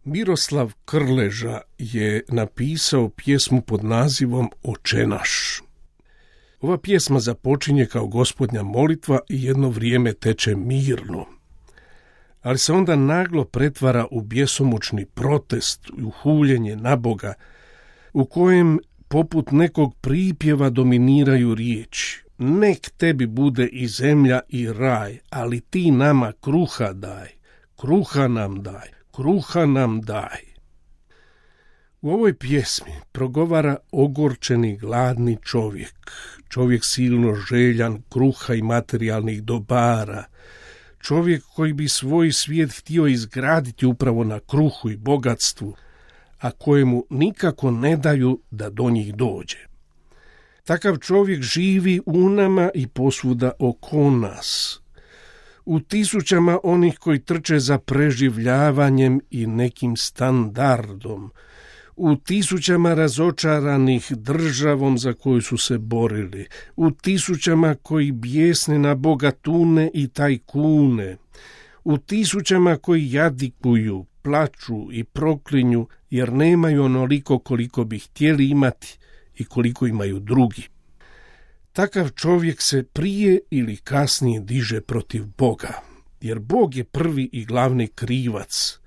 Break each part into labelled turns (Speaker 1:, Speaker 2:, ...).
Speaker 1: Miroslav Krleža je napisao pjesmu pod nazivom Oče naš. Ova pjesma započinje kao Gospodnja molitva i jedno vrijeme teče mirno, ali se onda naglo pretvara u bjesomučni protest i u huljenje na Boga, u kojem poput nekog pripjeva dominiraju riječi: nek tebi bude i zemlja i raj, ali ti nama kruha daj, kruha nam daj, kruha nam daj. U ovoj pjesmi progovara ogorčeni gladni čovjek silno željan kruha i materijalnih dobara, čovjek koji bi svoj svijet htio izgraditi upravo na kruhu i bogatstvu, a kojemu nikako ne daju da do njih dođe. Takav čovjek živi u nama i posvuda oko nas, u tisućama onih koji trče za preživljavanjem i nekim standardom, u tisućama razočaranih državom za koju su se borili, u tisućama koji bijesne na bogatune i tajkune, u tisućama koji jadikuju, plaču i proklinju jer nemaju onoliko koliko bi htjeli imati i koliko imaju drugi. Takav čovjek se prije ili kasnije diže protiv Boga, jer Bog je prvi i glavni krivac.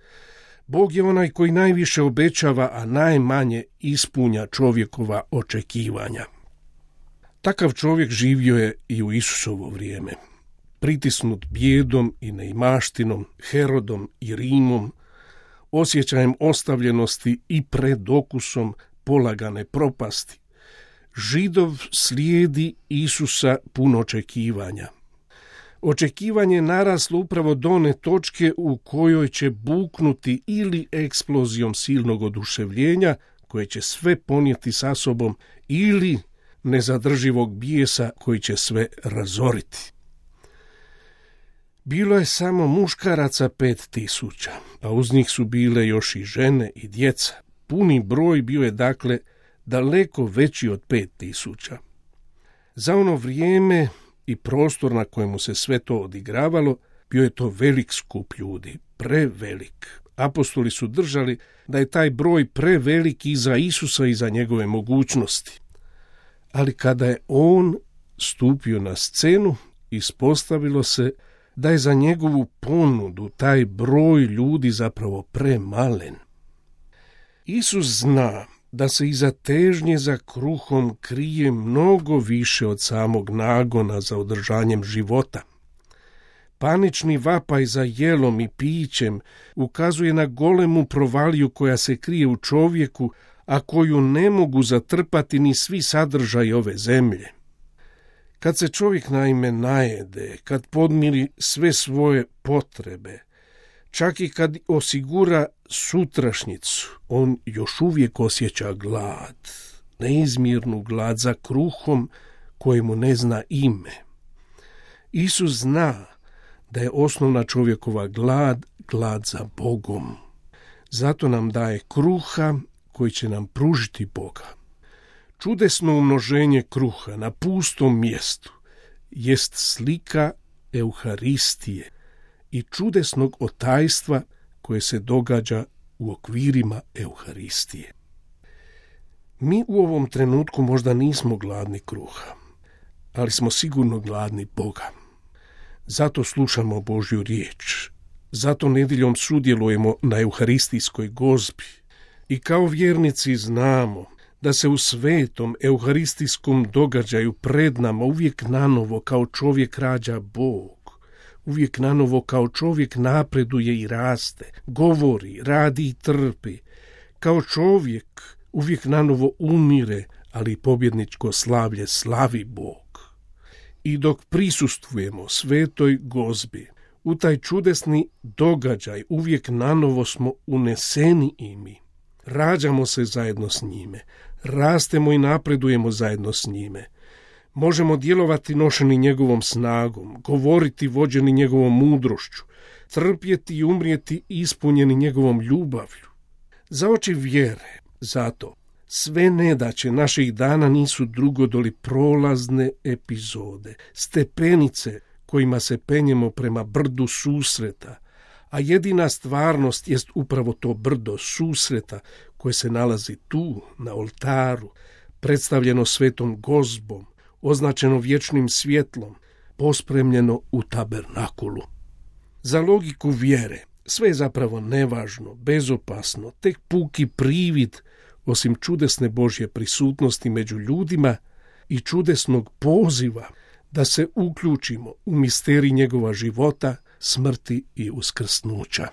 Speaker 1: Bog je onaj koji najviše obećava, a najmanje ispunja čovjekova očekivanja. Takav čovjek živio je i u Isusovo vrijeme. Pritisnut bijedom i neimaštinom, Herodom i Rimom, osjećajem ostavljenosti i predokusom polagane propasti, Židov slijedi Isusa puno očekivanja. Očekivanje je naraslo upravo do one točke u kojoj će buknuti ili eksplozijom silnog oduševljenja koje će sve ponijeti sa sobom, ili nezadrživog bijesa koji će sve razoriti. Bilo je samo muškaraca 5000, a uz njih su bile još i žene i djeca. Puni broj bio je dakle daleko veći od 5000. Za ono vrijeme i prostor na kojemu se sve to odigravalo, bio je to velik skup ljudi, prevelik. Apostoli su držali da je taj broj prevelik i za Isusa i za njegove mogućnosti. Ali kada je on stupio na scenu, ispostavilo se da je za njegovu ponudu taj broj ljudi zapravo premalen. Isus zna da se iza težnje za kruhom krije mnogo više od samog nagona za održanjem života. Panični vapaj za jelom i pićem ukazuje na golemu provaliju koja se krije u čovjeku, a koju ne mogu zatrpati ni svi sadržaji ove zemlje. Kad se čovjek naime najede, kad podmiri sve svoje potrebe, čak i kad osigura sutrašnjicu, on još uvijek osjeća glad, neizmjernu glad za kruhom kojemu ne zna ime. Isus zna da je osnovna čovjekova glad za Bogom. Zato nam daje kruha koji će nam pružiti Boga. Čudesno umnoženje kruha na pustom mjestu jest slika Euharistije i čudesnog otajstva koje se događa u okvirima Euharistije. Mi u ovom trenutku možda nismo gladni kruha, ali smo sigurno gladni Boga. Zato slušamo Božju riječ, zato nedjeljom sudjelujemo na Euharistijskoj gozbi i kao vjernici znamo da se u svetom euharistijskom događaju pred nama uvijek nanovo kao čovjek rađa Bog, uvijek nanovo kao čovjek napreduje i raste, govori, radi i trpi, kao čovjek uvijek nanovo umire, ali pobjedničko slavlje slavi Bog. I dok prisustvujemo svetoj gozbi, u taj čudesni događaj uvijek nanovo smo uneseni i mi. Rađamo se zajedno s njime, rastemo i napredujemo zajedno s njime. Možemo djelovati nošeni njegovom snagom, govoriti vođeni njegovom mudrošću, trpjeti i umrijeti ispunjeni njegovom ljubavlju. Za oči vjere, zato, sve nedaće naših dana nisu drugo doli prolazne epizode, stepenice kojima se penjemo prema brdu susreta, a jedina stvarnost jest upravo to brdo susreta koje se nalazi tu, na oltaru, predstavljeno svetom gozbom, označeno vječnim svjetlom, pospremljeno u tabernakulu. Za logiku vjere sve je zapravo nevažno, bezopasno, tek puki privid, osim čudesne Božje prisutnosti među ljudima i čudesnog poziva da se uključimo u misterij njegova života, smrti i uskrsnuća.